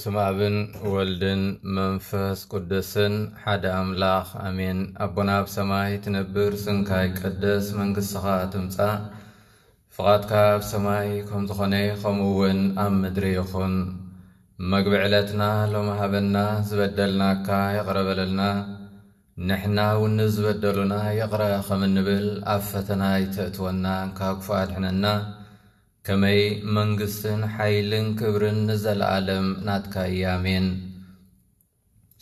ስም ኣብን ወልድን መንፈስ ቅዱስን ሓደ ኣምላኽ ኣሜን። ኣቦና ኣብ ሰማይ ትነብር፣ ስምካ ይቀደስ፣ መንግስትኻ ትምጻእ፣ ፍቓድካ ኣብ ሰማይ ከም ዝኾነ ከምኡ እውን ኣብ ምድሪ ይኹን። መግቢ ዕለትና ሎሚ ሃበና፣ ዝበደልናካ ይቕረ በለልና፣ ንሕና እውን ንዝበደሉና ይቕረ ከም እንብል፣ ኣብ ፈተና ኣይተእትወና፣ ካብ ክፉእ ኣድሕነና። ከመይ መንግስትን ሓይልን ክብርን ንዘለኣለም ናትካ እዩ። ኣሜን።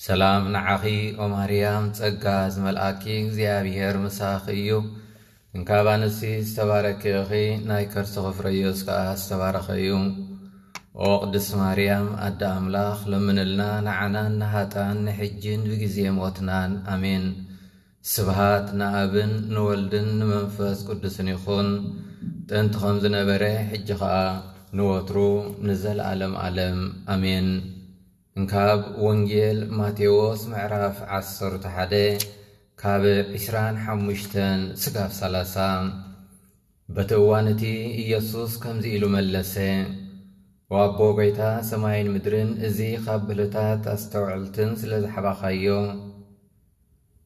ሰላም ንዓኺ ኦ ማርያም፣ ጸጋ ዝመልኣኪ እግዚኣብሔር ምሳኺ እዩ። እንካብ ኣንስቲ ዝተባረኪ ኢኺ፣ ናይ ከርስኺ ፍረ ኢየሱስ ከኣ ዝተባረኸ እዩ። ኦ ቅድስት ማርያም ኣደ ኣምላኽ፣ ለምንልና ንዓናን ንሃጣን ንሕጅን ብግዜ ሞትናን። ኣሜን። ስብሃት ንኣብን ንወልድን ንመንፈስ ቅዱስን ይኹን፣ ጥንቲ ከም ዝነበረ፣ ሕጂ ኸኣ ንወትሩ ንዘለኣለም ኣለም። ኣሜን። እንካብ ወንጌል ማቴዎስ ምዕራፍ ዓሰርተ ሓደ ካብ ዕስራን ሓሙሽተን ስጋብ ሰላሳ። በቲ እዋን እቲ ኢየሱስ ከምዚ ኢሉ መለሰ፣ "ወኣቦ ጐይታ ሰማይን ምድርን፣ እዚ ካብ ብልታት ኣስተውዕልትን ስለ ዝሓባኻዮ፣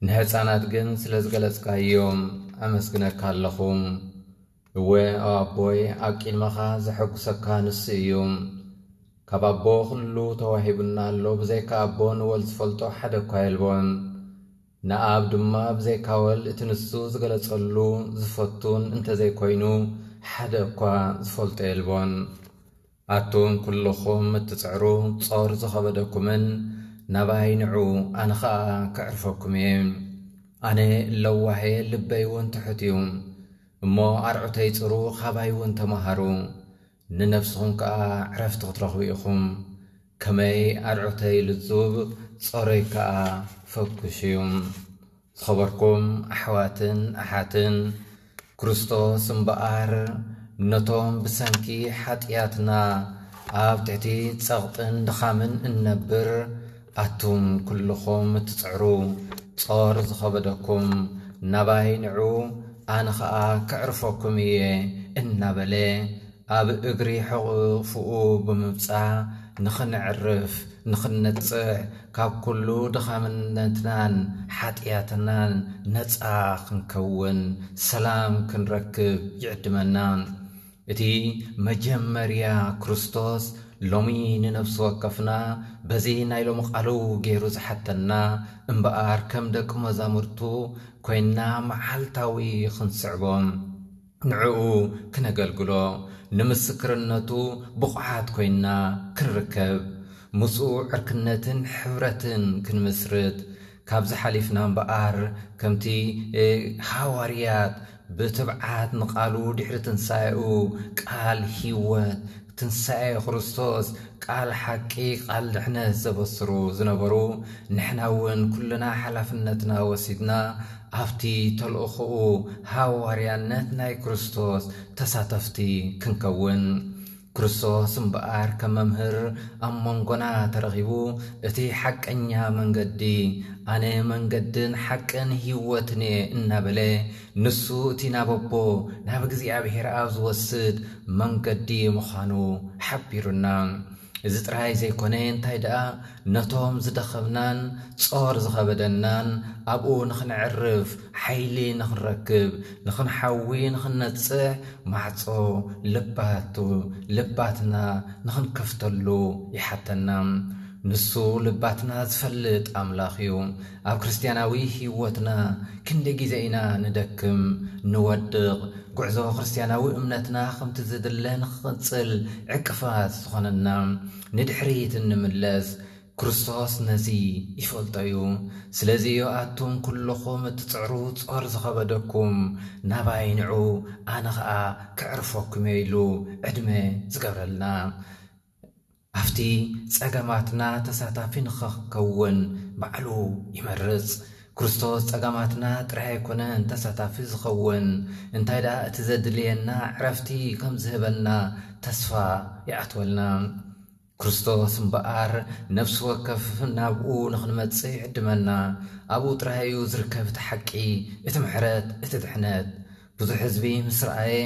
ንሕፃናት ግን ስለ ዝገለጽካዮም ኣመስግነካ ኣለኹ። እወ፣ ኦ ኣቦይ፣ ኣብ ቅድመኻ ዘሐጉሰካ ንሱ እዩ። ካብ ኣቦ ኩሉ ተዋሂቡና ኣሎ፣ ብዘይካ ኣቦ ንወልድ ዝፈልጦ ሓደ እኳ የልቦን። ንኣብ ድማ ብዘይካ ወልድ እቲ ንሱ ዝገለጸሉ ዝፈቱን እንተዘይኮይኑ ሓደ እኳ ዝፈልጦ የልቦን። ኣቱም ኩልኹም እትጽዕሩ ጾር ዝኸበደኩምን ናባይ ንዑ፣ ኣነ ኸኣ ከዕርፈኩም እየ። ኣነ ለዋሄ ልበይ እውን ትሑት እዩ። እሞ ኣርዑተይ ጽሩ፣ ኻባይ እውን ተማሃሩ፣ ንነፍስኹም ከኣ ዕረፍቲ ክትረኽቡ ኢኹም። ከመይ ኣርዑተይ ልዙብ፣ ጾረይ ከኣ ፈኩሽ እዩ። ዝኸበርኩም ኣሕዋትን ኣሓትን፣ ክርስቶስ እምበኣር ነቶም ብሰንኪ ሓጢኣትና ኣብ ትሕቲ ጸቕጥን ድኻምን እንነብር፣ ኣቱም ኩልኹም እትጽዕሩ ጾር ዝኸበደኩም ናባይ ንዑ፣ ኣነ ኸኣ ከዕርፈኩም እየ እናበለ ኣብ እግሪ ሕቑፍኡ ብምብጻ ንኽንዕርፍ፣ ንኽንነጽሕ፣ ካብ ኩሉ ድኻምነትናን ሓጢኣትናን ነጻ ክንከውን፣ ሰላም ክንረክብ ይዕድመና። እቲ መጀመርያ ክርስቶስ ሎሚ ንነፍሲ ወከፍና በዚ ናይ ሎሚ ቃሉ ገይሩ ዝሓተና እምበኣር ከም ደቂ መዛሙርቱ ኮይንና መዓልታዊ ክንስዕቦ፣ ንዕኡ ክነገልግሎ፣ ንምስክርነቱ ብቑዓት ኮይንና ክንርከብ፣ ምስኡ ዕርክነትን ሕብረትን ክንምስርት፣ ካብዚ ሓሊፍና እምበኣር ከምቲ፣ እ፣ ሃዋርያት ብትብዓት ንቃሉ ድሕሪ ትንሳኤኡ ቃል ህይወት፣ ትንሳኤ ክርስቶስ፣ ቃል ሓቂ፣ ቃል ድሕነት ዘበስሩ ዝነበሩ፣ ንሕና እውን ኩልና ሓላፍነትና ወሲድና ኣብቲ ተልእኾኡ ሃዋርያነት ናይ ክርስቶስ ተሳተፍቲ ክንከውን። ክርስቶስ እምበኣር ከም መምህር ኣብ መንጎና ተረኺቡ፣ እቲ ሓቀኛ መንገዲ፣ ኣነ መንገድን ሓቅን ህይወትን እየ እናበለ፣ ንሱ እቲ ናብ ኣቦ፣ ናብ እግዚኣብሔር ኣብ ዝወስድ መንገዲ ምዃኑ ሓቢሩና። እዚ ጥራይ ዘይኮነ፣ እንታይ ደኣ፣ ነቶም ዝደኸምናን ጾር ዝኸበደናን ኣብኡ ንኽንዕርፍ ሓይሊ ንኽንረክብ፣ ንኽንሓዊ ንኽንነጽሕ ማዕጾ ልባቱ፣ ልባትና ንኽንከፍተሉ ይሓተና። ንሱ ልባትና ዝፈልጥ ኣምላኽ እዩ። ኣብ ክርስትያናዊ ህይወትና ክንደይ ግዜ ኢና ንደክም፣ ንወድቕ፣ ጉዕዞ ክርስትያናዊ እምነትና ከምቲ ዝድለ ንኽቕጽል ዕቅፋት ዝኾነና፣ ንድሕሪት እንምለስ፣ ክርስቶስ ነዚ ይፈልጦ እዩ። ስለዚ ኣቱም ኩልኹም እትጽዕሩ ጾር ዝኸበደኩም ናባይ ንዑ፣ ኣነ ኸኣ ከዕርፈኩም እየ ኢሉ ዕድመ ዝገብረልና። ኣብቲ ጸገማትና ተሳታፊ ንኽኸውን ባዕሉ ይመርጽ። ክርስቶስ ጸገማትና ጥራይ ኣይኮነን ተሳታፊ ዝኸውን፣ እንታይ ደኣ እቲ ዘድልየና ዕረፍቲ ከም ዝህበና ተስፋ ይኣትወልና። ክርስቶስ እምበኣር ነፍሲ ወከፍ ናብኡ ንኽንመጽእ ይዕድመና። ኣብኡ ጥራይ እዩ ዝርከብ እቲ ሓቂ፣ እቲ ምሕረት፣ እቲ ድሕነት። ብዙሕ ህዝቢ ምስ ረኣየ፣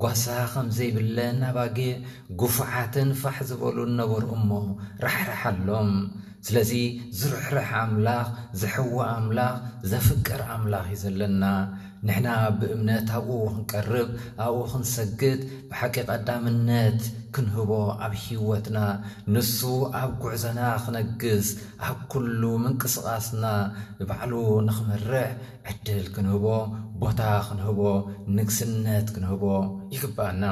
ጓሳ ከም ዘይብለን ኣባጊዕ፣ ግፉዓትን ፋሕ ዝበሉን ነበሩ እሞ ራሕራሓሎም። ስለዚ ዝርሕርሕ ኣምላኽ፣ ዝሕዊ ኣምላኽ፣ ዘፍቅር ኣምላኽ እዩ ዘለና። ንሕና ብእምነት ኣብኡ ክንቀርብ፣ ኣብኡ ክንሰግድ፣ ብሓቂ ቀዳምነት ክንህቦ ኣብ ህይወትና፣ ንሱ ኣብ ጉዕዞና ክነግስ፣ ኣብ ኩሉ ምንቅስቓስና ባዕሉ ንኽመርሕ ዕድል ክንህቦ፣ ቦታ ክንህቦ፣ ንግስነት ክንህቦ ይግባና።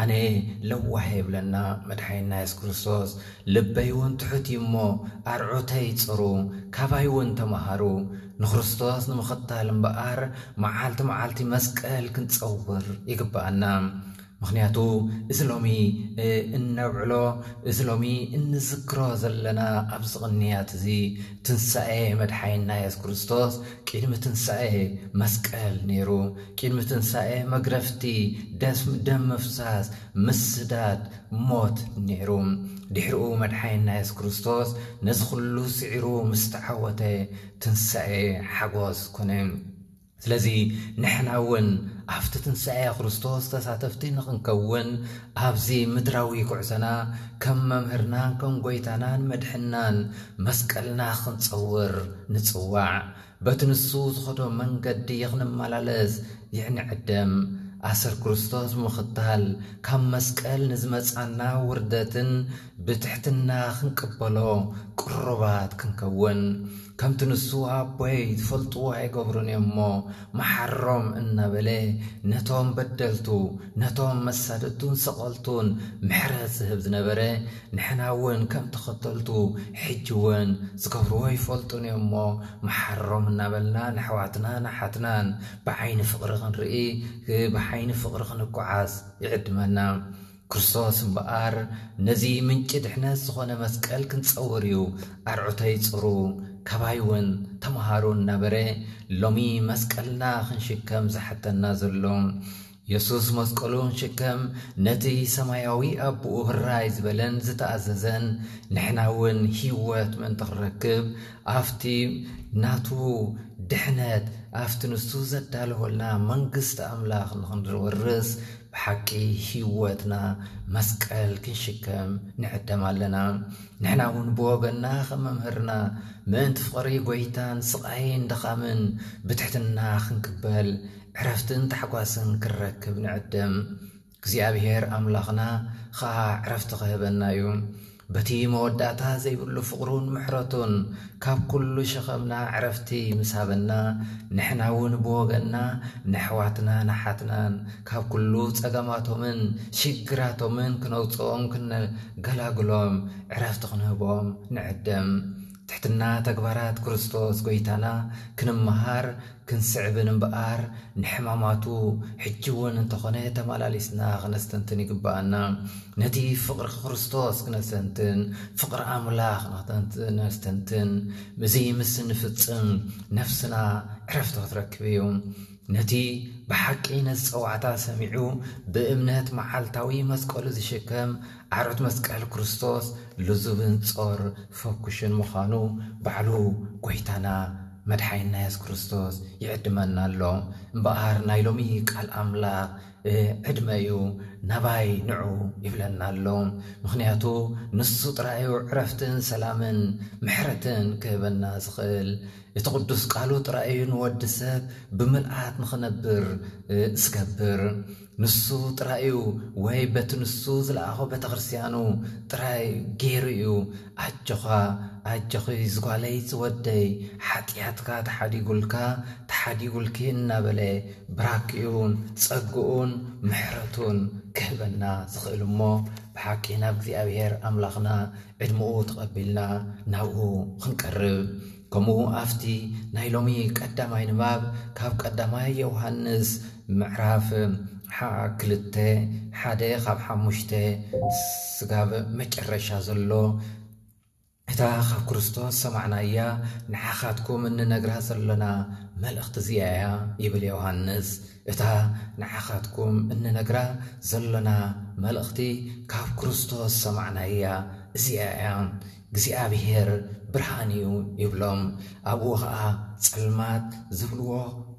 ኣነ ለዋህ የብለና መድሓይና የሱስ ክርስቶስ፣ ልበይ እውን ትሑት እዩ እሞ ኣርዑተይ ጽሩ፣ ካባይ እውን ተምሃሩ። ንክርስቶስ ንምኽታል እምበኣር መዓልቲ መዓልቲ መስቀል ክንጸውር ይግባኣና። ምኽንያቱ እዚ ሎሚ እነብዕሎ፣ እዚ ሎሚ እንዝክሮ ዘለና ኣብዚ ቅንያት እዚ ትንሳኤ መድሓይና የሱስ ክርስቶስ ቅድሚ ትንሳኤ መስቀል ነይሩ። ቅድሚ ትንሳኤ መግረፍቲ፣ ደም ምፍሳስ፣ ምስዳድ፣ ሞት ነይሩ። ድሕሪኡ መድሓይና የሱስ ክርስቶስ ነዚ ኩሉ ስዒሩ ምስ ተዓወተ ትንሳኤ ሓጎስ ኮነ። ስለዚ ንሕና እውን ኣብቲ ትንሳኤ ክርስቶስ ተሳተፍቲ ንኽንከውን ኣብዚ ምድራዊ ጉዕዞና ከም መምህርናን ከም ጎይታናን መድሕናን መስቀልና ክንጸውር ንጽዋዕ። በቲ ንሱ ዝኸዶ መንገዲ ክንመላለስ ይንዕደም። ኣሰር ክርስቶስ ብምኽታል ካብ መስቀል ንዝመጻና ውርደትን ብትሕትና ክንቅበሎ ቅሩባት ክንከውን። ከምቲ ንሱ ኣቦይ ዝፈልጥዎ ኣይገብሩን እዮም እሞ መሓሮም እናበለ ነቶም በደልቱ፣ ነቶም መሳደድቱን ሰቐልቱን ምሕረት ዝህብ ዝነበረ፣ ንሕና እውን ከም ተኸተልቱ ሕጂ እውን ዝገብርዎ ይፈልጡን እዮም እሞ መሓሮም እናበልና ንኣሕዋትና ንሓትናን ብዓይኒ ፍቕሪ ክንርኢ፣ ብዓይኒ ፍቕሪ ክንጓዓዝ ይዕድመና። ክርስቶስ እምበኣር ነዚ ምንጪ ድሕነት ዝኾነ መስቀል ክንጸውር እዩ። ኣርዑተይ ጽሩ፣ ካባይ እውን ተምሃሩ እናበረ ሎሚ መስቀልና ክንሽከም ዝሓተና ዘሎ። የሱስ መስቀሉ ክንሽከም ነቲ ሰማያዊ ኣቦኡ ህራይ ዝበለን ዝተኣዘዘን፣ ንሕና እውን ህይወት ምእንቲ ክንረክብ ኣብቲ ናቱ ድሕነት፣ ኣብቲ ንሱ ዘዳለወልና መንግስቲ ኣምላኽ ንኽንወርስ ብሓቂ ህይወትና መስቀል ክንሽከም ንዕደም ኣለና። ንሕና እውን ብወገንና ከም መምህርና ምእንቲ ፍቕሪ ጎይታን ስቓይን ድኻምን ብትሕትና ክንቅበል ዕረፍትን ታሕጓስን ክንረክብ ንዕደም። እግዚኣብሔር ኣምላኽና ኸኣ ዕረፍቲ ክህበና እዩ። በቲ መወዳእታ ዘይብሉ ፍቕሩን ምሕረቱን ካብ ኩሉ ሸኸምና ዕረፍቲ ምስ ሃበና፣ ንሕና እውን ብወገንና ነሕዋትናን ኣሓትናን ካብ ኩሉ ጸገማቶምን ሽግራቶምን ክነውጽኦም ክንገላግሎም ዕረፍቲ ክንህቦም ንዕደም። ትሕትና ተግባራት ክርስቶስ ጎይታና ክንመሃር ክንስዕብን እምበኣር፣ ንሕማማቱ ሕጂ እውን እንተኾነ ተመላሊስና ክነስተንትን ይግብኣና። ነቲ ፍቕሪ ክርስቶስ ክነስተንትን፣ ፍቕሪ ኣምላኽ ክነስተንትን፣ እዚ ምስ እንፍጽም ነፍስና ዕረፍቲ ክትረክብ እዩ። ነቲ ብሓቂ ነዚ ጸዋዕታ ሰሚዑ ብእምነት መዓልታዊ መስቀሉ ዝሽከም ኣርዑት መስቀል ክርስቶስ ልዙብን ጾር ፈኩሽን ምዃኑ ባዕሉ ጎይታና መድሓይና የሱስ ክርስቶስ ይዕድመና ኣሎ። እምበኣር ናይ ሎሚ ቃል ኣምላኽ፣ እ፣ ዕድመ እዩ፣ ናባይ ንዑ ይብለና ኣሎ። ምኽንያቱ ንሱ ጥራይ እዩ ዕረፍትን ሰላምን ምሕረትን ክህበና ዝኽእል። እቲ ቅዱስ ቃሉ ጥራይ እዩ ንወዲ ሰብ ብምልኣት ንኽነብር፣ እ፣ ዝገብር። ንሱ ጥራይ እዩ፣ ወይ በቲ ንሱ ዝለኣኾ ቤተ ክርስቲያኑ ጥራይ ገይሩ እዩ። ኣጆኻ፣ ኣጆኺ ዝጓለይ ዝወደይ፣ ሓጢኣትካ ተሓዲጉልካ፣ ተሓዲጉልኪ እናበለ ብራኪኡን ጸግኡን ምሕረቱን ክህበና ዝኽእል እሞ፣ ብሓቂ ናብ እግዚኣብሔር ኣምላኽና ዕድመኡ ተቐቢልና ናብኡ ክንቀርብ። ከምኡ ኣብቲ ናይ ሎሚ ቀዳማይ ንባብ ካብ ቀዳማይ ዮሃንስ ምዕራፍ ሓ-፣ ክልተ ሓደ ካብ ሓሙሽተ ስጋብ መጨረሻ ዘሎ፣ እታ ካብ ክርስቶስ ሰማዕናያ ንዓኻትኩም እንነግራ ዘሎና መልእኽቲ እዚኣ እያ ይብል ዮሃንስ። እታ ንዓኻትኩም እንነግራ ዘሎና መልእኽቲ ካብ ክርስቶስ ሰማዕናያ እዚኣ እያ። እግዚኣብሔር ብርሃን እዩ ይብሎም። ኣብኡ ኸኣ ጸልማት ዝብልዎ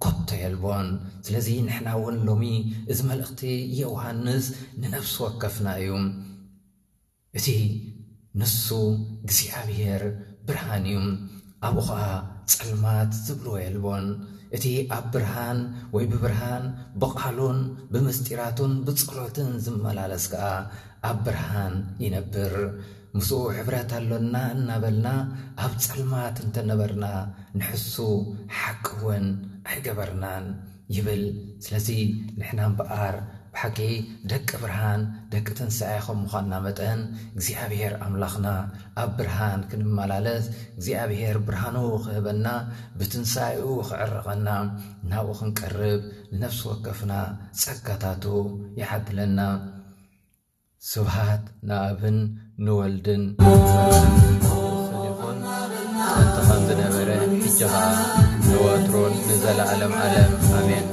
ኮቶ የልቦን። ስለዚ ንሕና እውን ሎሚ እዚ መልእኽቲ ዮሃንስ ንነፍሲ ወከፍና እዩ። እቲ ንሱ እግዚኣብሔር ብርሃን እዩ፣ ኣብኡ ኸዓ ጸልማት ዝብልዎ የልቦን። እቲ ኣብ ብርሃን ወይ ብብርሃን ብቓሉን ብምስጢራቱን ብጸሎትን ዝመላለስ ከኣ ኣብ ብርሃን ይነብር። ምስኡ ሕብረት ኣሎና እናበልና ኣብ ጸልማት እንተነበርና ንሕሱ ሓቂ እውን ኣይገበርናን ይብል። ስለዚ ንሕና እምበኣር ብሓቂ ደቂ ብርሃን ደቂ ትንሳኤ ከም ምዃንና መጠን እግዚኣብሔር ኣምላኽና ኣብ ብርሃን ክንመላለስ እግዚኣብሔር ብርሃኑ ክህበና ብትንሳኤኡ ክዕርቐና ናብኡ ክንቀርብ ንነፍሲ ወከፍና ጸጋታቱ ይዓድለና። ስብሃት ንኣብን ንወልድን ንመንፈስ ቅዱስን ይኹን፣ ጥንቲ ከም ዝነበረ፣ ሕጂ ኸኣ ንወትሮን ንዘለዓለም ዓለም። ኣሜን።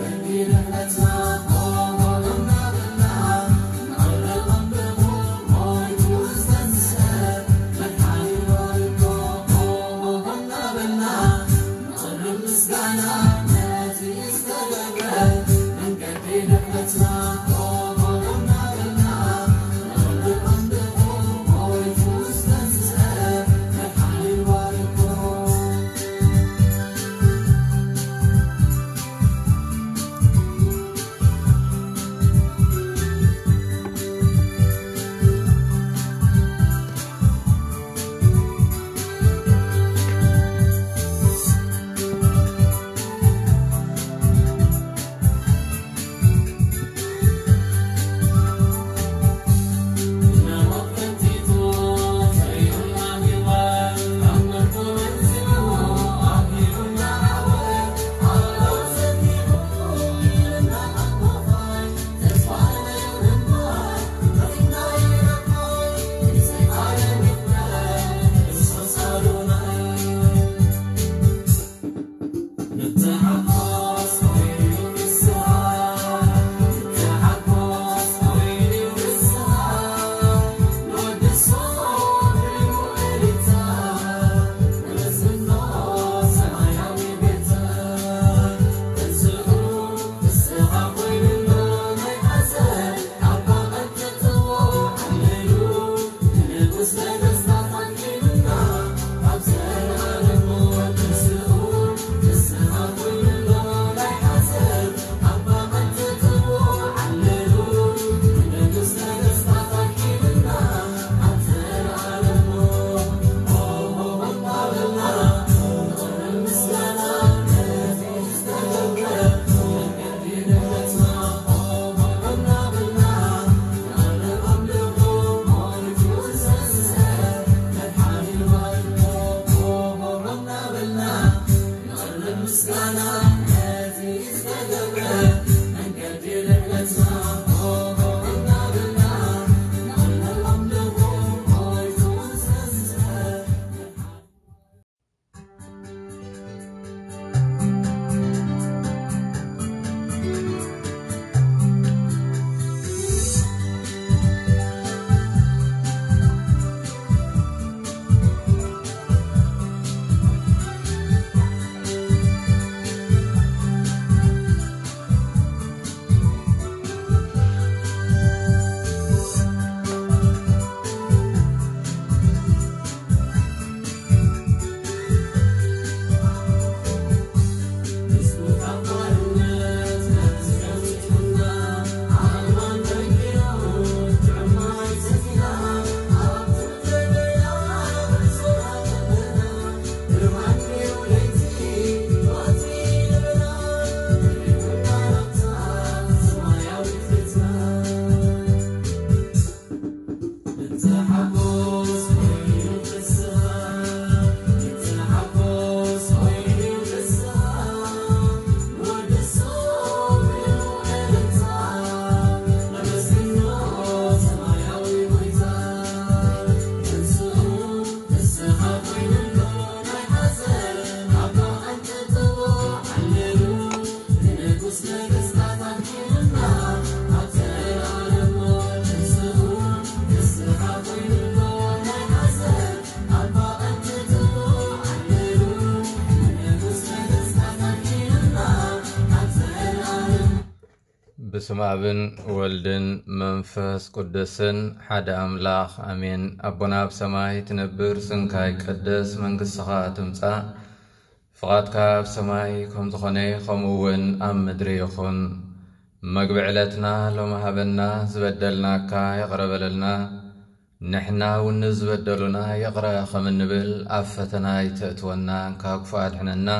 ስም ኣብን ወልድን መንፈስ ቅዱስን ሓደ ኣምላኽ ኣሜን። ኣቦና ኣብ ሰማይ ትነብር፣ ስምካ ይቀደስ፣ መንግስትኻ ትምጻእ፣ ፍቓድካ ኣብ ሰማይ ከም ዝኾነ ከምኡ እውን ኣብ ምድሪ ይኹን። መግቢ ዕለትና ሎሚ ሃበና፣ ዝበደልናካ ይቕረ በለልና፣ ንሕና እውን ንዝበደሉና ይቕረ ከም እንብል፣ ኣብ ፈተና ኣይተእትወና፣ ካብ ክፉእ ኣድሕነና።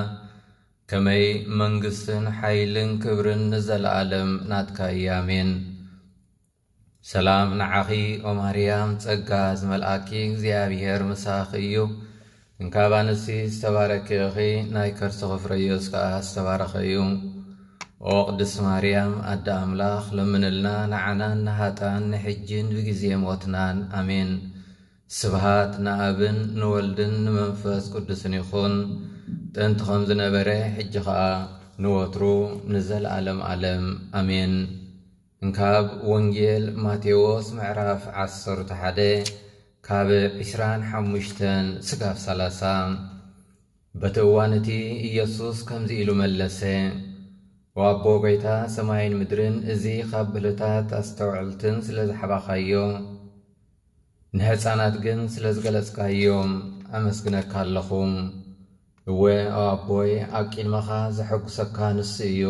ከመይ መንግስትን ሓይልን ክብርን ንዘለኣለም ናትካ እዩ። ኣሜን። ሰላም ንዓኺ ኦ ማርያም፣ ጸጋ ዝመልኣኪ እግዚኣብሔር ምሳኺ እዩ። እንካብ ኣንስቲ ዝተባረኪ ኢኺ፣ ናይ ከርስኺ ፍረ ኢየሱስ ከኣ ዝተባረኸ እዩ። ኦ ቅድስት ማርያም ኣደ ኣምላኽ፣ ለምንልና ንዓናን ንሃጣን ንሕጅን ብግዜ ሞትናን። ኣሜን። ስብሃት ንኣብን ንወልድን ንመንፈስ ቅዱስን ይኹን፣ ጥንቲ ከም ዝነበረ፣ ሕጂ ኸኣ ንወትሩ ንዘለኣለም ኣለም። ኣሜን። እንካብ ወንጌል ማቴዎስ ምዕራፍ ዓሰርተ ሓደ ካብ ዕስራን ሓሙሽተን ስጋብ ሰላሳ። በቲ እዋን እቲ ኢየሱስ ከምዚ ኢሉ መለሰ፣ "ኦ ኣቦ ጐይታ ሰማይን ምድርን፣ እዚ ካብ ብህልታት ኣስተውዕልትን ስለ ዝሓባኻዮ፣ ንህፃናት ግን ስለ ዝገለጽካዮም ኣመስግነካ ኣለኹ። እወ፣ ኦ ኣቦይ፣ ኣብ ቅድመኻ ዘሐጉሰካ ንሱ እዩ።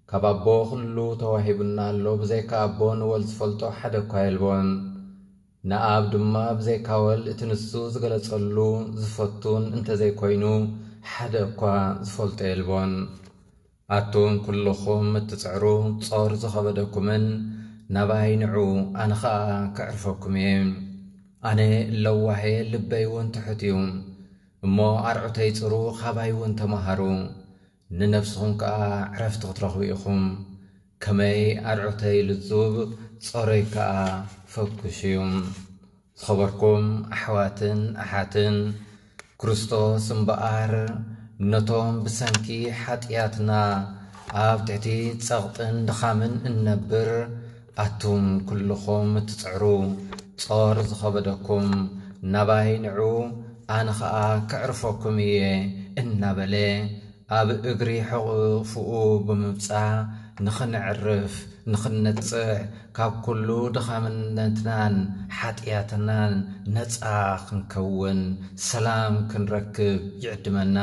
ካብ ኣቦ ኩሉ ተዋሂቡና ኣሎ፣ ብዘይካ ኣቦ ንወልድ ዝፈልጦ ሓደ እኳ የልቦን። ንኣብ ድማ ብዘይካ ወልድ እቲ ንሱ ዝገለጸሉ ዝፈቱን እንተዘይኮይኑ ሓደ እኳ ዝፈልጦ የልቦን። ኣቱም ኩልኹም እትጽዕሩ ጾር ዝኸበደኩምን ናባይ ንዑ፣ ኣነ ኸኣ ከዕርፈኩም እየ። ኣነ ለዋሄ ልበይ እውን ትሑት እዩ። እሞ ኣርዑተይ ጽሩ፣ ኻባይ እውን ተማሃሩ፣ ንነፍስኹም ከኣ ዕረፍቲ ክትረኽቡ ኢኹም። ከመይ ኣርዑተይ ልዙብ፣ ጾረይ ከኣ ፈኩሽ እዩ። ዝኸበርኩም ኣሕዋትን ኣሓትን፣ ክርስቶስ እምበኣር ነቶም ብሰንኪ ሓጢኣትና ኣብ ትሕቲ ጸቕጥን ድኻምን እንነብር፣ ኣቱም ኩልኹም እትጽዕሩ ጾር ዝኸበደኩም ናባይ ንዑ፣ ኣነ ኸኣ ከዕርፈኩም እየ እናበለ ኣብ እግሪ ሕቑፍኡ ብምምጻእ ንኽንዕርፍ፣ ንኽንነጽሕ፣ ካብ ኩሉ ድኻምነትናን ሓጢኣትናን ነጻ ክንከውን፣ ሰላም ክንረክብ ይዕድመና።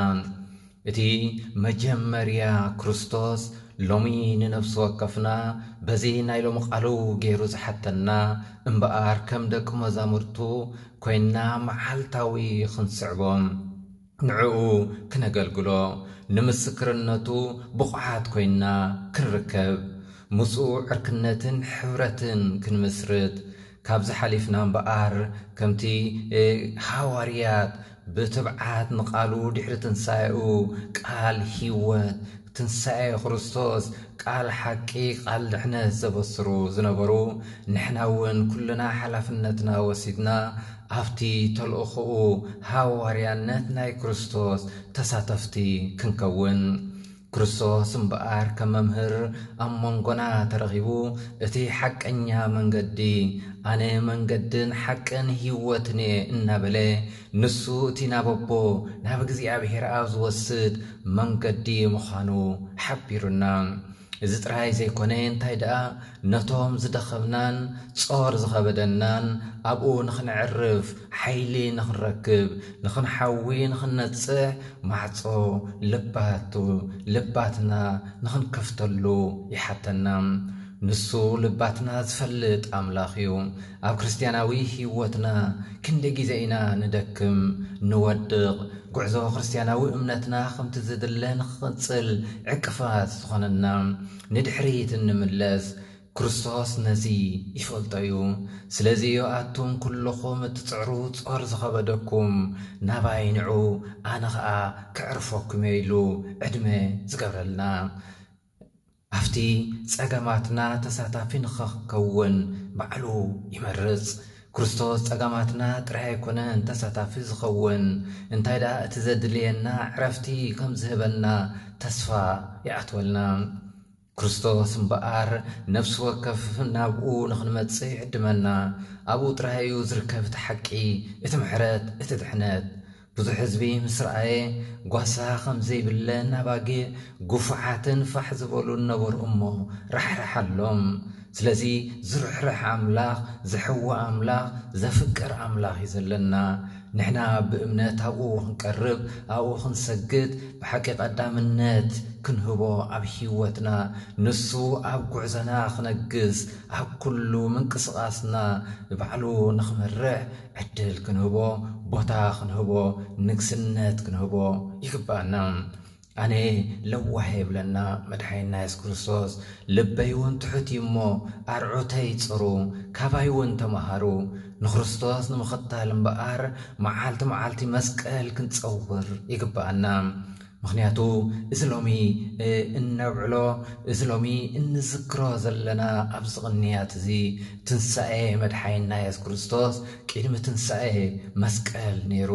እቲ መጀመርያ ክርስቶስ ሎሚ ንነፍሲ ወከፍና በዚ ናይ ሎሚ ቃሉ ገይሩ ዝሓተና እምበኣር ከም ደቂ መዛሙርቱ ኮይንና መዓልታዊ ክንስዕቦ፣ ንዕኡ ክነገልግሎ፣ ንምስክርነቱ ብቑዓት ኮይንና ክንርከብ፣ ምስኡ ዕርክነትን ሕብረትን ክንምስርት፣ ካብዚ ሓሊፍና እምበኣር ከምቲ፣ እ፣ ሃዋርያት ብትብዓት ንቃሉ ድሕሪ ትንሳኤኡ ቃል ህይወት፣ ትንሳኤ ክርስቶስ፣ ቃል ሓቂ፣ ቃል ድሕነት ዘበስሩ ዝነበሩ፣ ንሕና እውን ኩልና ሓላፍነትና ወሲድና ኣብቲ ተልእኾኡ ሃዋርያነት ናይ ክርስቶስ ተሳተፍቲ ክንከውን። ክርስቶስ እምበኣር ከም መምህር ኣብ መንጎና ተረኺቡ፣ እቲ ሓቀኛ መንገዲ፣ "ኣነ መንገድን ሓቅን ህይወትን እየ" እናበለ፣ ንሱ እቲ ናብ ኣቦ፣ ናብ እግዚኣብሔር ኣብ ዝወስድ መንገዲ ምዃኑ ሓቢሩና። እዚ ጥራይ ዘይኮነ፣ እንታይ ደኣ፣ ነቶም ዝደኸምናን ጾር ዝኸበደናን ኣብኡ ንኽንዕርፍ ሓይሊ ንኽንረክብ፣ ንኽንሓዊ፣ ንኽንነጽሕ ማዕጾ ልባቱ፣ ልባትና ንኽንከፍተሉ ይሓተና። ንሱ ልባትና ዝፈልጥ ኣምላኽ እዩ። ኣብ ክርስትያናዊ ህይወትና ክንደይ ግዜ ኢና ንደክም፣ ንወድቕ? ጉዕዞ ክርስትያናዊ እምነትና ከምቲ ዝድለ ንኽቕጽል ዕቅፋት ዝኾነና፣ ንድሕሪት እንምለስ፣ ክርስቶስ ነዚ ይፈልጦ እዩ። ስለዚ ኣቱም ኩልኹም እትጽዕሩ ጾር ዝኸበደኩም ናባይ ንዑ፣ ኣነ ኸኣ ከዕርፈኩም እየ ኢሉ ዕድመ ዝገብረልና። ኣብቲ ጸገማትና ተሳታፊ ንኽኸውን ባዕሉ ይመርጽ። ክርስቶስ ጸገማትና ጥራይ ኣይኮነን ተሳታፊ ዝኸውን፣ እንታይ ደኣ እቲ ዘድልየና ዕረፍቲ ከም ዝህበና ተስፋ ይኣትወልና። ክርስቶስ እምበኣር ነፍሲ ወከፍ ናብኡ ንኽንመጽእ ይዕድመና። ኣብኡ ጥራይ እዩ ዝርከብ እቲ ሓቂ፣ እቲ ምሕረት፣ እቲ ድሕነት። ብዙሕ ህዝቢ ምስ ረኣየ፣ ጓሳ ከም ዘይብለን ኣባጊዕ፣ ግፉዓትን ፋሕ ዝበሉን ነበሩ እሞ ራሕራሓሎም። ስለዚ ዝርሕርሕ ኣምላኽ፣ ዝሕዊ ኣምላኽ፣ ዘፍቅር ኣምላኽ እዩ ዘለና። ንሕና ብእምነት ኣብኡ ክንቀርብ፣ ኣብኡ ክንሰግድ፣ ብሓቂ ቀዳምነት ክንህቦ ኣብ ህይወትና፣ ንሱ ኣብ ጉዕዞና ክነግስ፣ ኣብ ኩሉ ምንቅስቓስና ባዕሉ ንኽመርሕ ዕድል ክንህቦ፣ ቦታ ክንህቦ፣ ንግስነት ክንህቦ ይግባኣና። ኣነ ለዋህ የብለና መድሓይና የሱስ ክርስቶስ፣ ልበይ እውን ትሑት እዩ እሞ ኣርዑተይ ጽሩ፣ ካባይ እውን ተማሃሩ። ንክርስቶስ ንምኽታል እምበኣር መዓልቲ መዓልቲ መስቀል ክንጸውር ይግባኣና። ምኽንያቱ እዚ ሎሚ፣ እ፣ እነብዕሎ፣ እዚ ሎሚ እንዝክሮ ዘለና ኣብዚ ቅንያት እዚ ትንሳኤ መድሓይና የሱስ ክርስቶስ ቅድሚ ትንሳኤ መስቀል ነይሩ።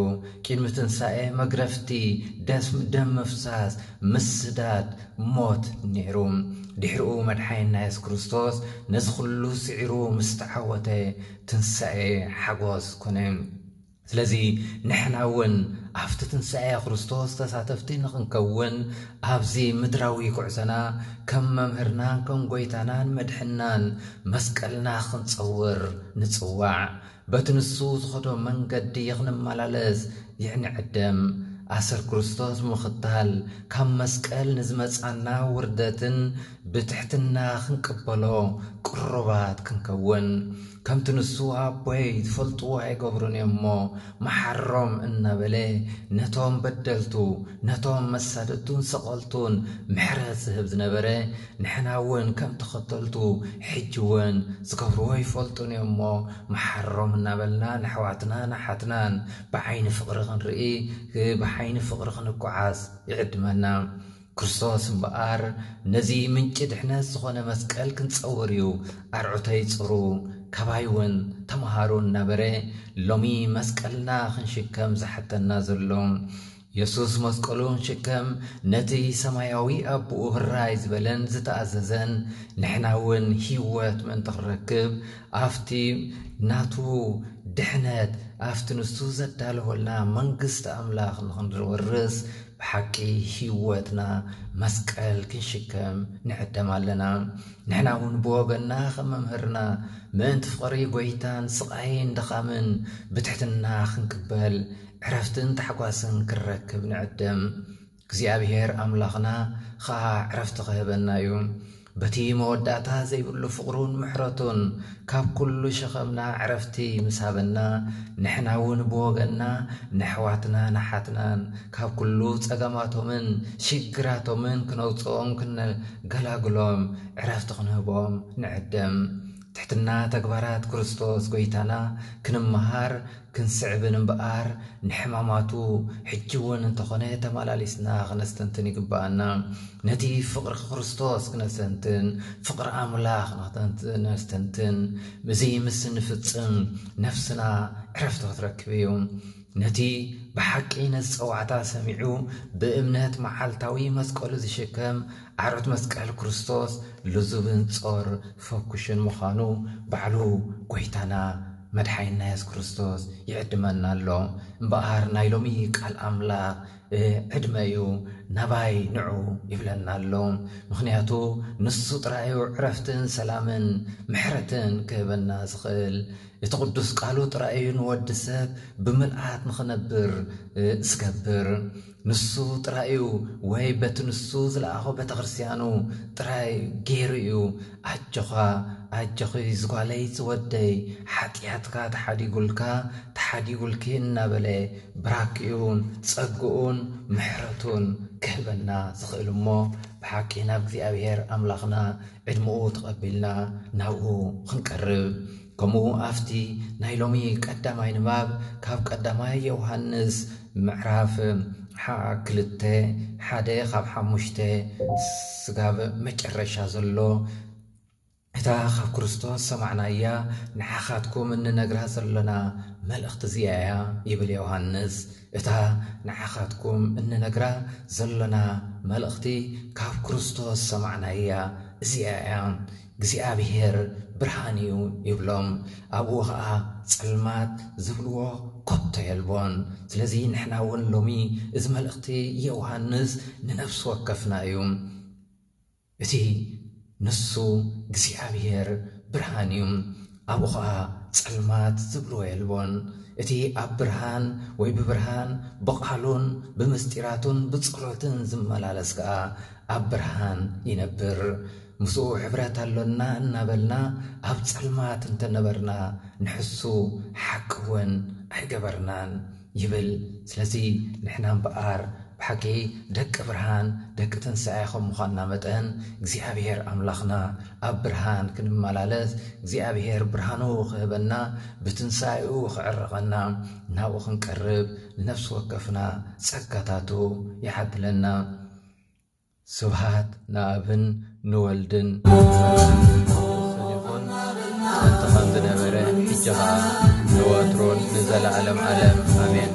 ቅድሚ ትንሳኤ መግረፍቲ፣ ደስ-፣ ደም ምፍሳስ፣ ምስዳድ፣ ሞት ነይሩ። ድሕሪኡ መድሓይና የሱስ ክርስቶስ ነዚ ኩሉ ስዒሩ ምስ ተዓወተ ትንሳኤ ሓጎስ ኮነ። ስለዚ ንሕና እውን ኣብቲ ትንሳኤ ክርስቶስ ተሳተፍቲ ንኽንከውን ኣብዚ ምድራዊ ጉዕዞና ከም መምህርናን ከም ጎይታናን መድሕናን መስቀልና ክንጸውር ንጽዋዕ። በቲ ንሱ ዝኸዶ መንገዲ ክንመላለስ ይዕንዕደም። ኣሰር ክርስቶስ ብምኽታል ካብ መስቀል ንዝመጻና ውርደትን ብትሕትና ክንቅበሎ ቅሩባት ክንከውን፣ ከምቲ ንሱ ኣቦይ ዝፈልጥዎ ኣይገብሩን እዮም እሞ መሓሮም እናበለ ነቶም በደልቱ፣ ነቶም መሳደድቱን ሰቐልቱን ምሕረት ዝህብ ዝነበረ፣ ንሕና እውን ከም ተኸተልቱ ሕጂ እውን ዝገብርዎ ይፈልጡን እዮም እሞ መሓሮም እናበልና ንኣሕዋትና ንሓትናን ብዓይኒ ፍቕሪ ክንርኢ፣ ብዓይኒ ፍቕሪ ክንጓዓዝ ይዕድመና። ክርስቶስ እምበኣር ነዚ ምንጪ ድሕነት ዝኾነ መስቀል ክንጸውር እዩ። ኣርዑተይ ጽሩ፣ ካባይ እውን ተምሃሩ እናበረ ሎሚ መስቀልና ክንሽከም ዝሓተና ዘሎ። የሱስ መስቀሉ ክንሽከም ነቲ ሰማያዊ ኣቦኡ ህራይ ዝበለን ዝተኣዘዘን፣ ንሕና እውን ህይወት ምእንቲ ክንረክብ ኣብቲ ናቱ ድሕነት፣ ኣብቲ ንሱ ዘዳለወልና መንግስቲ ኣምላኽ ንኽንወርስ ብሓቂ ህይወትና መስቀል ክንሽከም ንዕደም ኣለና። ንሕና እውን ብወገንና ከም መምህርና ምእንቲ ፍቕሪ ጎይታን ስቓይን ድኻምን ብትሕትና ክንቅበል ዕረፍትን ታሕጓስን ክንረክብ ንዕደም። እግዚኣብሔር ኣምላኽና ኸኣ ዕረፍቲ ክህበና እዩ። በቲ መወዳእታ ዘይብሉ ፍቕሩን ምሕረቱን ካብ ኩሉ ሸኸምና ዕረፍቲ ምስ ሃበና፣ ንሕና እውን ብወገንና ነሕዋትናን ኣሓትናን ካብ ኩሉ ጸገማቶምን ሽግራቶምን ክነውጽኦም ክንገላግሎም ዕረፍቲ ክንህቦም ንዕደም። ትሕትና ተግባራት ክርስቶስ ጎይታና ክንመሃር ክንስዕብን እምበኣር፣ ንሕማማቱ ሕጂ እውን እንተኾነ ተመላሊስና ክነስተንትን ይግብኣና። ነቲ ፍቕሪ ክርስቶስ ክነስተንትን፣ ፍቕሪ ኣምላኽ ክነስተንትን፣ እዚ ምስ እንፍጽም ነፍስና ዕረፍቲ ክትረክብ እዩ። ነቲ ብሓቂ ነዚ ጸዋዕታ ሰሚዑ ብእምነት መዓልታዊ መስቀሉ ዝሽከም ኣርዑት መስቀል ክርስቶስ ልዙብን ጾር ፈኩሽን ምዃኑ ባዕሉ ጎይታና መድሓይና የሱስ ክርስቶስ ይዕድመና ኣሎ። እምበኣር ናይ ሎሚ ቃል ኣምላኽ፣ እ፣ ዕድመ እዩ፣ ናባይ ንዑ ይብለና ኣሎ። ምኽንያቱ ንሱ ጥራይ እዩ ዕረፍትን ሰላምን ምሕረትን ክህበና ዝኽእል። እቲ ቅዱስ ቃሉ ጥራይ እዩ ንወዲ ሰብ ብምልኣት ንኽነብር፣ እ፣ ዝገብር። ንሱ ጥራይ እዩ፣ ወይ በቲ ንሱ ዝለኣኾ ቤተ ክርስቲያኑ ጥራይ ገይሩ እዩ። ኣጆኻ፣ ኣጆኺ ዝጓለይ ዝወደይ፣ ሓጢኣትካ ተሓዲጉልካ፣ ተሓዲጉልኪ እናበለ ብራኪኡን ጸግኡን ምሕረቱን ክህበና ዝኽእል እሞ፣ ብሓቂ ናብ እግዚኣብሔር ኣምላኽና ዕድመኡ ተቐቢልና ናብኡ ክንቀርብ። ከምኡ ኣብቲ ናይ ሎሚ ቀዳማይ ንባብ ካብ ቀዳማይ ዮሃንስ ምዕራፍ ሓ-፣ ክልተ፣ ሓደ ካብ ሓሙሽተ ስጋብ መጨረሻ ዘሎ፣ እታ ካብ ክርስቶስ ሰማዕናያ ንዓኻትኩም እንነግራ ዘሎና መልእኽቲ እዚኣ እያ ይብል ዮሃንስ። እታ ንዓኻትኩም እንነግራ ዘሎና መልእኽቲ ካብ ክርስቶስ ሰማዕናያ እዚኣ እያ። እግዚኣብሔር ብርሃን እዩ ይብሎም። ኣብኡ ኸዓ ጸልማት ዝብልዎ ኮቶ የልቦን። ስለዚ ንሕና እውን ሎሚ እዚ መልእኽቲ ዮሃንስ ንነፍሲ ወከፍና እዩ። እቲ ንሱ እግዚኣብሔር ብርሃን እዩ፣ ኣብኡ ኸዓ ጸልማት ዝብልዎ የልቦን። እቲ ኣብ ብርሃን ወይ ብብርሃን ብቓሉን ብምስጢራቱን ብጸሎትን ዝመላለስ ከኣ ኣብ ብርሃን ይነብር። ምስኡ ሕብረት ኣሎና እናበልና ኣብ ጸልማት እንተነበርና ንሕሱ ሓቂ እውን ኣይገበርናን ይብል። ስለዚ ንሕና እምበኣር ብሓቂ ደቂ ብርሃን ደቂ ትንሳኤ ከም ምዃንና መጠን እግዚኣብሔር ኣምላኽና ኣብ ብርሃን ክንመላለስ እግዚኣብሔር ብርሃኑ ክህበና ብትንሳኤኡ ክዕርቐና ናብኡ ክንቀርብ ንነፍሲ ወከፍና ጸጋታቱ ይዓድለና። ስብሃት ንኣብን ንወልድን መንፈስ ቅዱስን ይኹን፣ ጥንቲ ከም ዝነበረ፣ ሕጂ ኸዓ ንወትሩን ንዘለዓለም ዓለም። ኣሜን።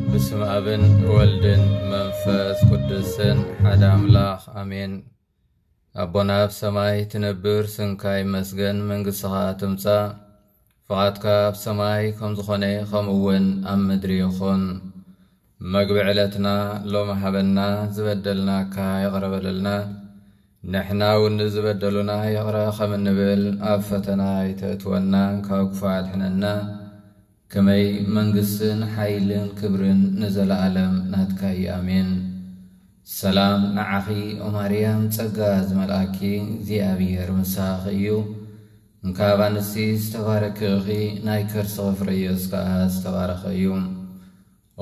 በስመ ኣብን ወልድን መንፈስ ቅዱስን ሓደ ኣምላኽ ኣሜን። ኣቦና ኣብ ሰማይ ትነብር፣ ስምካ ይመስገን፣ መንግስትኻ ትምጻእ፣ ፍቓድካ ኣብ ሰማይ ከም ዝኾነ ከምኡ እውን ኣብ ምድሪ ይኹን። መግቢ ዕለትና ሎሚ ሃበና፣ ዝበደልናካ ይቕረ በለልና፣ ንሕና እውን ንዝበደሉና ይቕረ ከም እንብል፣ ኣብ ፈተና ኣይተእትወና፣ ካብ ክፉእ ኣድሕነና። ከመይ መንግስትን ሓይልን ክብርን ንዘለኣለም ናትካ እዩ። ኣሜን። ሰላም ንዓኺ ኦ ማርያም፣ ጸጋ ዝመልኣኪ እግዚኣብሔር ምሳኺ እዩ። እንካብ ኣንስቲ ዝተባረኪ ኢኺ፣ ናይ ከርስኺ ፍረ ኢየሱስ ከኣ ዝተባረኸ እዩ።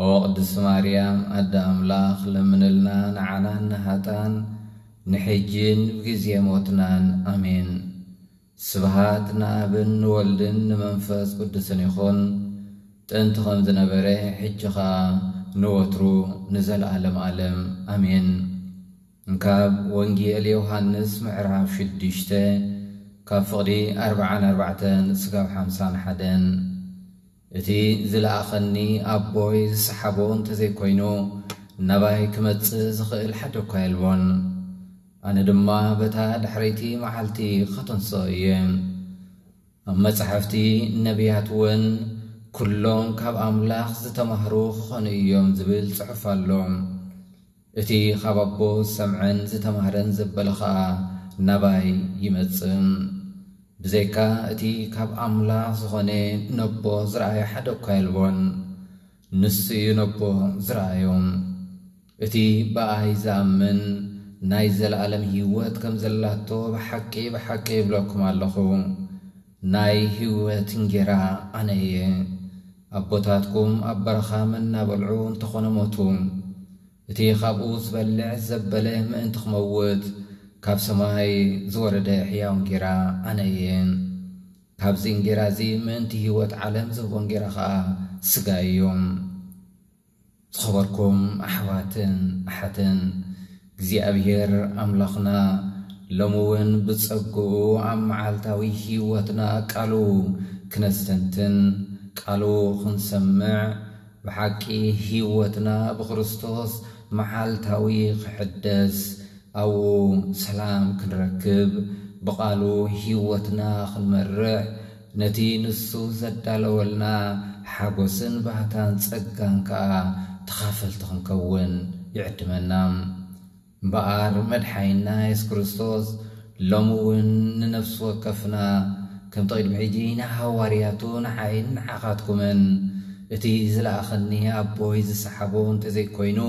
ኦ ቅድስቲ ማርያም ኣደ ኣምላኽ ለምንልና ንዓናን ንሃጣን ንሕጅን ብግዜ ሞትናን። ኣሜን። ስብሃት ንኣብን ንወልድን ንመንፈስ ቅዱስን ይኹን፣ ጥንቲ ከም ዝነበረ ሕጂ ኸኣ ንወትሩ ንዘለኣለም ኣለም። ኣሜን። እንካብ ወንጌል ዮሃንስ ምዕራፍ ሽዱሽተ ካብ ፍቕዲ ኣርብዓን ኣርባዕተን ስጋብ ሓምሳን ሓደን። እቲ ዝለኣኸኒ ኣቦይ ዝሰሓቦ እንተዘይኮይኑ ናባይ ክመጽእ ዝኽእል ሓደ እኳ የልቦን። ኣነ ድማ በታ ድሕረይቲ መዓልቲ ኸተንስኦ እየ። ኣብ መጻሕፍቲ ነቢያት እውን ኩሎም ካብ ኣምላኽ ዝተማህሩ ክኾኑ እዮም ዝብል ጽሑፍ ኣሎ። እቲ ካብ ኣቦ ዝሰምዐን ዝተማህረን ዘበለ ኸኣ ናባይ ይመጽእ። ብዘይካ እቲ ካብ ኣምላኽ ዝኾነ ነቦ ዝረኣየ ሓደ እኳ የልቦን። ንሱ እዩ ነቦ ዝረኣዮም። እቲ ብኣይ ዝኣምን ናይ ዘለኣለም ህይወት ከም ዘላቶ ብሓቂ ብሓቂ ይብለኩም ኣለኹ፣ ናይ ህይወት እንጌራ ኣነ እየ። ኣቦታትኩም ኣብ በረኻ መና በልዑ እንተኾነ ሞቱ። እቲ ኻብኡ ዝበልዕ ዘበለ ምእንቲ ኽመውት ካብ ሰማይ ዝወረደ ሕያው እንጌራ ኣነ እየ። ካብዚ እንጌራ እዚ ምእንቲ ህይወት ዓለም ዝህቦ እንጌራ ኸኣ ስጋ እዩ። ዝኸበርኩም ኣሕዋትን ኣሓትን፣ እግዚኣብሔር ኣምላኽና ሎሚ እውን ብጸግኡ ኣብ መዓልታዊ ህይወትና ቃሉ ክነስተንትን ቃሉ ክንሰምዕ ብሓቂ ህይወትና ብክርስቶስ መዓልታዊ ክሕደስ ኣብኡ ሰላም ክንረክብ ብቓሉ ህይወትና ክንመርሕ ነቲ ንሱ ዘዳለወልና ሓጎስን ባህታን ጸጋን ከኣ ተኻፈልቲ ክንከውን ይዕድመና። እምበኣር መድሓይና የሱስ ክርስቶስ ሎሚ እውን ንነፍሲ ወከፍና ከምቲ ቅድሚ ሕጂ ንሃዋርያቱ ንዓይን ንዓኻትኩምን እቲ ዝለኣኸኒ ኣቦይ ዝሰሓቦ እንተዘይኮይኑ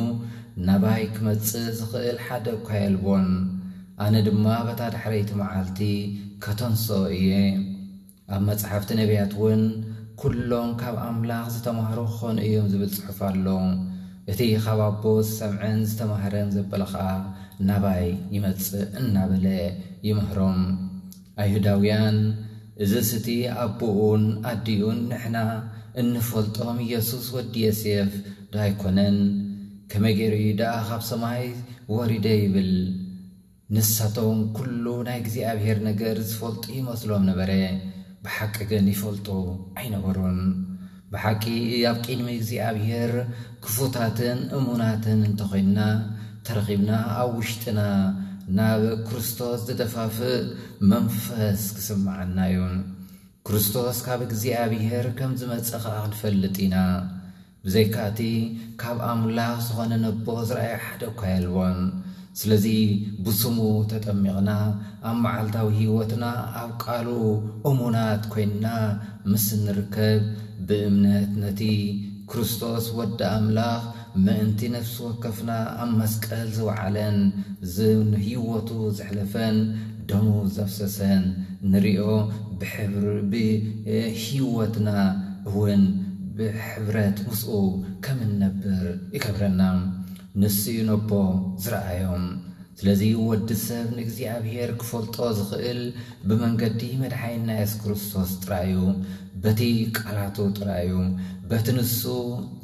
ናባይ ክመጽእ ዝኽእል ሓደ እኳ የልቦን። ኣነ ድማ በታ ዳሕረይቲ መዓልቲ ከተንስኦ እየ። ኣብ መጻሕፍቲ ነቢያት እውን ኩሎም ካብ ኣምላኽ ዝተማህሩ ክኾኑ እዮም ዝብል ጽሑፍ ኣሎ። እቲ ካብ ኣቦ ዝሰምዐን ዝተማህረን ዘበለ ኸኣ ናባይ ይመጽእ እናበለ ይምህሮም። ኣይሁዳውያን እዝስ እቲ ኣቦኡን ኣዲኡን ንሕና እንፈልጦም ኢየሱስ ወዲ ዮሴፍ ዶ ኣይኮነን? ከመይ ገይሩ እዩ ደኣ ካብ ሰማይ ወሪደ ይብል? ንሳቶም ኩሉ ናይ እግዚኣብሔር ነገር ዝፈልጡ ይመስሎም ነበረ፣ ብሓቂ ግን ይፈልጡ ኣይነበሩን። ብሓቂ ኣብ ቅድሚ እግዚኣብሔር ክፉታትን እሙናትን እንተኾይንና ተረኺብና ኣብ ውሽጥና ናብ ክርስቶስ ዝደፋፍእ መንፈስ ክስምዓና እዩ። ክርስቶስ ካብ እግዚኣብሔር ከም ዝመጸ ኸኣ ክንፈልጥ ኢና። ብዘይካ እቲ ካብ ኣምላኽ ዝኾነ ነቦ ዝረኣየ ሓደ እኳ የልቦን። ስለዚ ብስሙ ተጠሚቕና ኣብ መዓልታዊ ህይወትና ኣብ ቃሉ እሙናት ኮይንና ምስ እንርከብ ብእምነት ነቲ ክርስቶስ ወዲ ኣምላኽ ምእንቲ ነፍሲ ወከፍና ኣብ መስቀል ዝወዓለን ዝህይወቱ ዘሕለፈን ደሙ ዘፍሰሰን ንሪኦ ብሕብር ብህይወትና እውን ብሕብረት ምስኡ ከም እንነብር ይገብረና። ንሱ እዩ ነቦ ዝረኣዮም። ስለዚ ወዲ ሰብ ንእግዚኣብሔር ክፈልጦ ዝኽእል ብመንገዲ መድሓይና የሱስ ክርስቶስ ጥራይ እዩ። በቲ ቃላቱ ጥራይ እዩ። በቲ ንሱ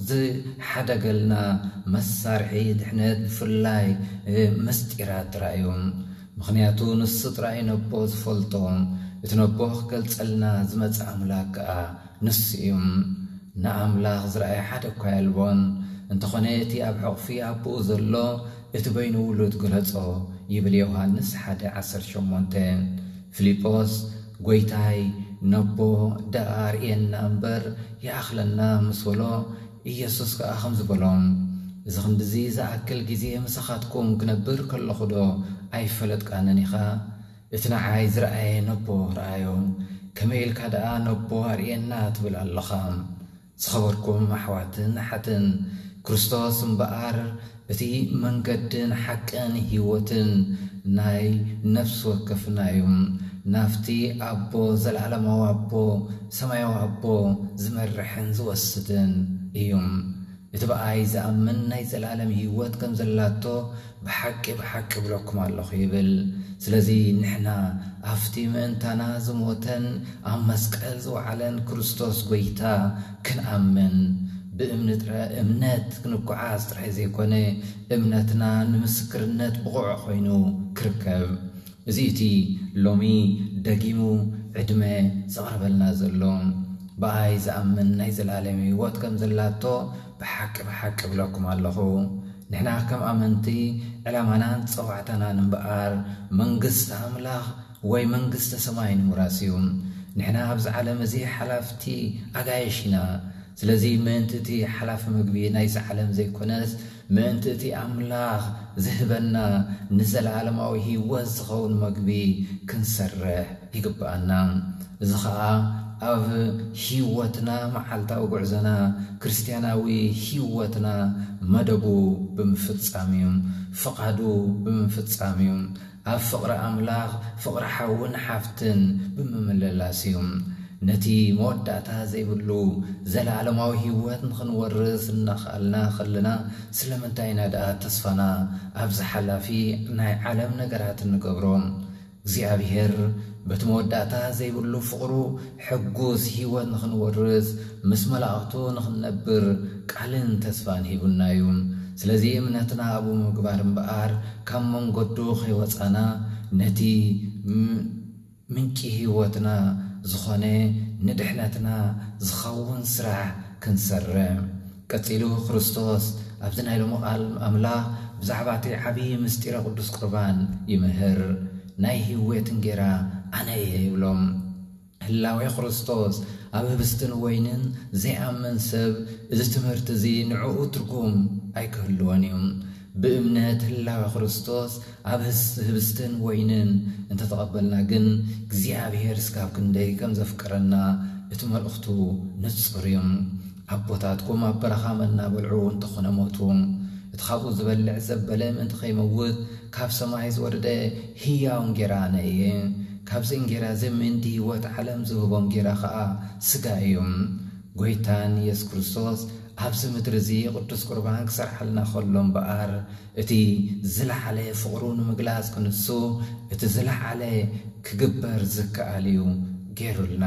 ዝሓደገልና መሳርሒ ድሕነት ብፍላይ ምስጢራት ጥራይ እዩ። ምኽንያቱ ንሱ ጥራይ ነቦ ዝፈልጦ፣ እቲ ነቦ ክገልጸልና ዝመጸ ኣምላክ ከኣ ንሱ እዩ። ንኣምላኽ ዝረኣየ ሓደ እኳ የልቦን። እንተኾነ እቲ ኣብ ሕቑፊ ኣቦኡ ዘሎ እቲ በይኑ ውሉድ ገለጾ ይብል ዮሃንስ ሓደ ዓሰርተ ሸሞንተ። ፊልጶስ ጎይታይ ነቦ ደኣ ኣርእየና እምበር ይኣኽለና ምስ በሎ ኢየሱስ ከኣ ከምዚ በሎም፣ እዚ ክንድዚ ዝኣክል ግዜ ምሳኻትኩም ክነብር ከለኹዶ ኣይፈለጥካንን ኢኻ? እቲ ንዓይ ዝረኣየ ነቦ ረኣዮ፣ ከመይ ኢልካ ደኣ ነቦ ኣርእየና ትብል ኣለኻ? ዝኸበርኩም ኣሕዋትን ኣሓትን፣ ክርስቶስ እምበኣር እቲ መንገድን ሓቅን ህይወትን ናይ ነፍሲ ወከፍና እዩ። ናብቲ ኣቦ፣ ዘለዓለማዊ ኣቦ፣ ሰማያዊ ኣቦ ዝመርሕን ዝወስድን እዩ። እቲ ብኣይ ዝኣምን ናይ ዘለዓለም ህይወት ከም ዘላቶ ብሓቂ ብሓቂ እብለኩም ኣለኹ ይብል። ስለዚ ንሕና ኣብቲ ምእንታና ዝሞተን ኣብ መስቀል ዝወዓለን ክርስቶስ ጎይታ ክንኣምን፣ ብእምኒ ጥረ-፣ እምነት ክንጓዓዝ ጥራይ ዘይኮነ፣ እምነትና ንምስክርነት ብቑዕ ኮይኑ ክርከብ። እዚ እቲ ሎሚ ደጊሙ ዕድመ ዘቕርበልና ዘሎ። ብኣይ ዝኣምን ናይ ዘላለም ህይወት ከም ዘላቶ ብሓቂ ብሓቂ እብለኩም ኣለኹ። ንሕና ከም ኣመንቲ ዕላማናን ጸዋዕታናን እምበኣር መንግስቲ ኣምላኽ ወይ መንግስተ ሰማይ ንምውራስ እዩ። ንሕና ኣብዚ ዓለም እዚ ሓላፍቲ ኣጋይሽ ኢና። ስለዚ ምእንቲ እቲ ሓላፊ ምግቢ ናይዚ ዓለም ዘይኮነስ፣ ምእንቲ እቲ ኣምላኽ ዝህበና ንዘለዓለማዊ ህይወት ዝኸውን መግቢ ክንሰርሕ ይግብኣና። እዚ ኸኣ ኣብ ህይወትና፣ መዓልታዊ ጉዕዞና፣ ክርስትያናዊ ህይወትና መደቡ ብምፍጻም እዩ። ፍቓዱ ብምፍጻም እዩ። ኣብ ፍቕሪ ኣምላኽ፣ ፍቕሪ ሓውን ሓፍትን ብምምልላስ እዩ። ነቲ መወዳእታ ዘይብሉ ዘለዓለማዊ ህይወት ንኽንወርስ እናኸኣልና ኸለና፣ ስለምንታይ ኢና ደኣ ተስፋና ኣብዚ ሓላፊ ናይ ዓለም ነገራት እንገብሮ? እግዚኣብሔር በቲ መወዳእታ ዘይብሉ ፍቕሩ ሕጉስ ህይወት ንኽንወርስ፣ ምስ መላእኽቱ ንኽንነብር ቃልን ተስፋን ሂቡና እዩ። ስለዚ እምነትና ኣብኡ ምግባር እምበኣር፣ ካብ መንገዱ ከይወጻና፣ ነቲ ም-፣ ምንጪ ህይወትና ዝኾነ ንድሕነትና ዝኸውን ስራሕ ክንሰርዕ። ቀጺሉ ክርስቶስ ኣብዚ ናይ ሎሚ ቃል ኣምላኽ ብዛዕባ እቲ ዓብዪ ምስጢረ ቅዱስ ቁርባን ይምህር። "ናይ ህይወት እንጌራ ኣነ እየ" ይብሎም። ህላዌ ክርስቶስ ኣብ ህብስትን ወይንን ዘይኣምን ሰብ፣ እዚ ትምህርቲ እዚ ንዕኡ ትርጉም ኣይክህልዎን እዩ። ብእምነት ህላዌ ክርስቶስ ኣብ ህስ-፣ ህብስትን ወይንን እንተተቐበልና ግን፣ እግዚኣብሔር እስካብ ክንደይ ከም ዘፍቅረና እቲ መልእኽቱ ንጹር እዩ። ኣቦታትኩም ኣብ በረኻ መና በልዑ እንተኾነ ሞቱ። እቲ ካብኡ ዝበልዕ ዘበለ ምእንቲ ከይመውት፣ ካብ ሰማይ ዝወረደ ህያው እንጌራ ኣነ እየ። ካብዚ እንጌራ እዚ ምእንቲ ህይወት ዓለም ዝህቦ እንጌራ ኸኣ ስጋ እዩ። ጎይታን የሱስ ክርስቶስ ኣብዚ ምድሪ እዚ ቅዱስ ቁርባን ክሰርሓልና ከሎ እምበኣር፣ እቲ ዝለዓለ ፍቕሩ ንምግላጽ ክንሱ፣ እቲ ዝለዓለ ክግበር ዝከኣል እዩ ገይሩልና።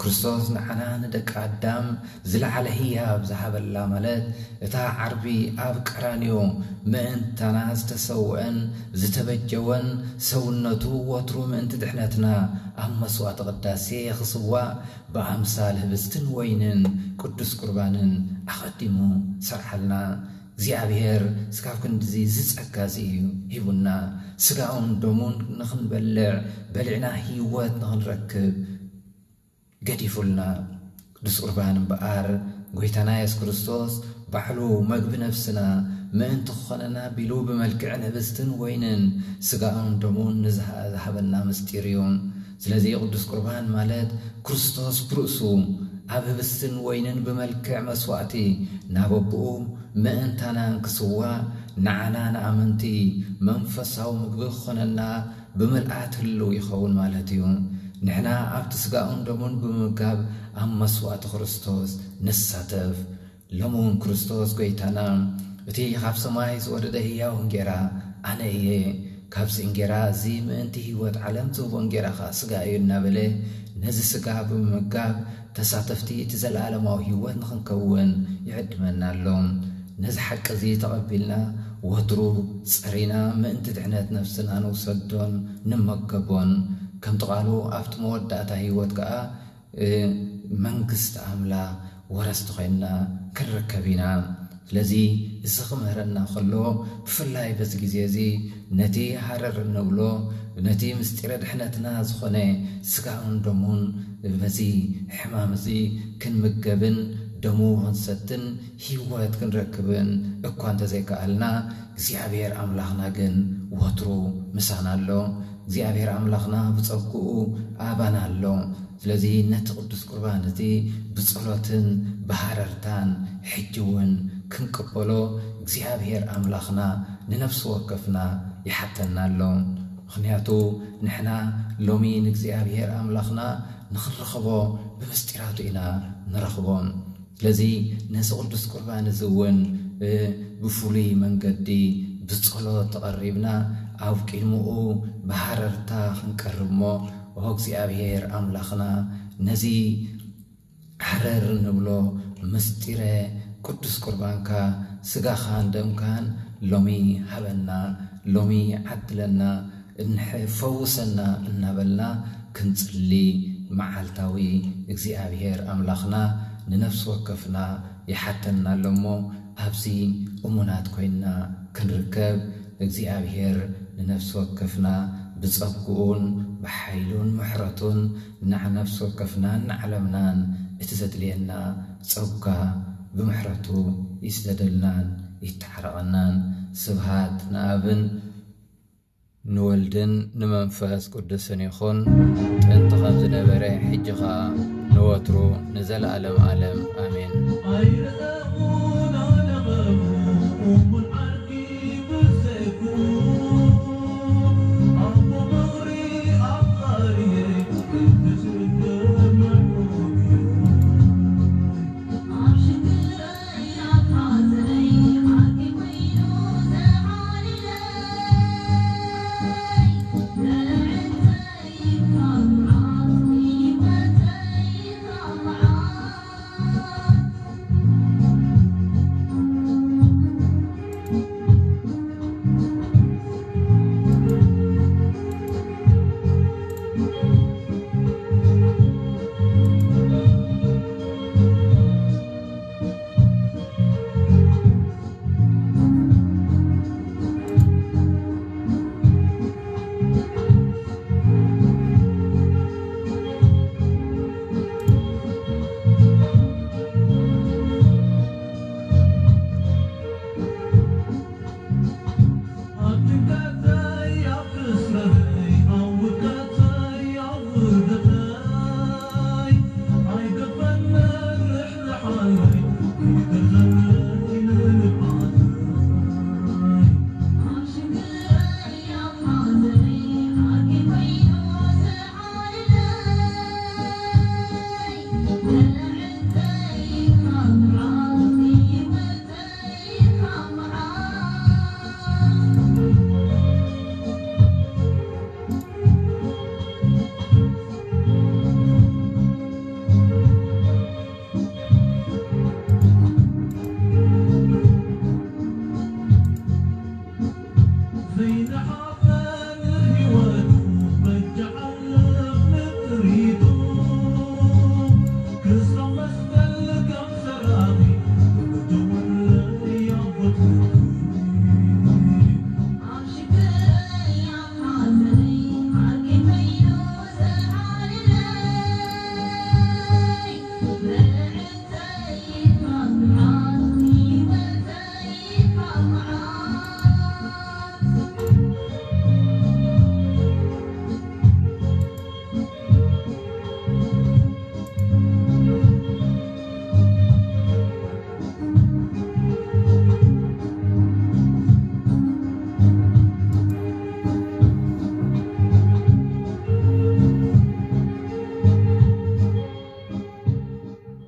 ክርስቶስ ንዓና ንደቂ ኣዳም ዝለዓለ ህያብ ዝሃበላ፣ ማለት እታ ዓርቢ ኣብ ቀራንዮ ምእንታና ዝተሰውአን ዝተበጀወን፣ ሰውነቱ ወትሩ ምእንቲ ድሕነትና ኣብ መስዋዕቲ ቅዳሴ ክስዋእ፣ ብኣምሳል ህብስትን ወይንን ቅዱስ ቁርባንን ኣቐዲሙ ሰርሓልና። እግዚኣብሔር ስጋብ ክንድዚ ዝጸጋ እዚ እዩ ሂቡና። ስጋኡን ደሙን ንኽንበልዕ፣ በሊዕና ህይወት ንኽንረክብ ገዲፉልና። ቅዱስ ቁርባን እምበኣር፣ ጎይታና የሱስ ክርስቶስ ባዕሉ መግቢ ነፍስና ምእንቲ ክኾነና ቢሉ ብመልክዕን ህብስትን ወይንን ስጋኡን ደሙን ንዝሃ-፣ ዝሃበና ምስጢር እዩ። ስለዚ ቅዱስ ቁርባን ማለት ክርስቶስ ብርእሱ ኣብ ህብስትን ወይንን ብመልክዕ መስዋዕቲ ናብ ኣቦኡ ምእንታና እንክስዋእ፣ ንዓና ንኣመንቲ መንፈሳዊ ምግቢ ክኾነና ብምልኣት ህልው ይኸውን ማለት እዩ። ንሕና ኣብቲ ስጋኡን ደሙን ብምምጋብ ኣብ መስዋዕቲ ክርስቶስ ንሳተፍ። ሎሚ እውን ክርስቶስ ጎይታና፣ "እቲ ካብ ሰማይ ዝወረደ ህያው እንጌራ ኣነ እየ። ካብዚ እንጌራ እዚ ምእንቲ ህይወት ዓለም ዝህቦ እንጌራ ኸኣ ስጋ እዩ" እናበለ፣ ነዚ ስጋ ብምምጋብ ተሳተፍቲ እቲ ዘለኣለማዊ ህይወት ንኽንከውን ይዕድመና ኣሎ። ነዚ ሓቂ እዚ ተቐቢልና፣ ወትሩ ጸሪና ምእንቲ ድሕነት ነፍስና ንውሰዶን ንመገቦን። ከምቲ ቃሉ፣ ኣብቲ መወዳእታ ህይወት ከኣ እ፣ መንግስቲ ኣምላኽ ወረስቲ ኮይንና ክንርከብ ኢና። ስለዚ እዚ ክምህረና ከሎ፣ ብፍላይ በዚ ግዜ እዚ ነቲ ሃረር እንብሎ፣ ነቲ ምስጢረ ድሕነትና ዝኾነ ስጋኡን ደሙን በዚ ሕማም እዚ ክንምገብን ደሙ ክንሰትን ህይወት ክንረክብን እኳ እንተዘይከኣልና፣ እግዚኣብሔር ኣምላኽና ግን ወትሩ ምሳና ኣሎ። እግዚኣብሔር ኣምላኽና ብጸግኡ ኣባና ኣሎ። ስለዚ ነቲ ቅዱስ ቁርባን እቲ ብጸሎትን ብሃረርታን ሕጂ እውን ክንቅበሎ እግዚኣብሔር ኣምላኽና ንነፍሲ ወከፍና ይሓተና ኣሎ። ምኽንያቱ ንሕና ሎሚ ንእግዚኣብሔር ኣምላኽና ንኽንረኽቦ ብምስጢራቱ ኢና ንረኽቦ። ስለዚ ነዚ ቅዱስ ቁርባን እዚ እውን ብፍሉይ መንገዲ ብጸሎት ተቐሪብና ኣብ ቅድምኡ ብሃረርታ ክንቀርብ እሞ፣ ኦ እግዚኣብሔር ኣምላኽና፣ ነዚ ሃረር እንብሎ ምስጢረ ቅዱስ ቁርባንካ፣ ስጋኻን ደምካን ሎሚ ሃበና፣ ሎሚ ዓድለና፣ እንሐ-፣ ፈውሰና እናበልና ክንጽሊ፣ መዓልታዊ እግዚኣብሔር ኣምላኽና ንነፍሲ ወከፍና ይሓተና ኣሎ እሞ፣ ኣብዚ እሙናት ኮይንና ክንርከብ፣ እግዚኣብሔር ንነፍሲ ወከፍና ብጸግኡን ብሓይሉን ምሕረቱን ንዓ ነፍሲ ወከፍናን ንዓለምናን እቲ ዘድልየና ጸጋ ብምሕረቱ ይስደደልናን ይተዓረቐናን። ስብሃት ንኣብን ንወልድን ንመንፈስ ቅዱስን ይኹን፣ ጥንቲ ከም ዝነበረ፣ ሕጂ ኸኣ ንወትሩ ንዘለኣለም ዓለም፣ ኣሜን።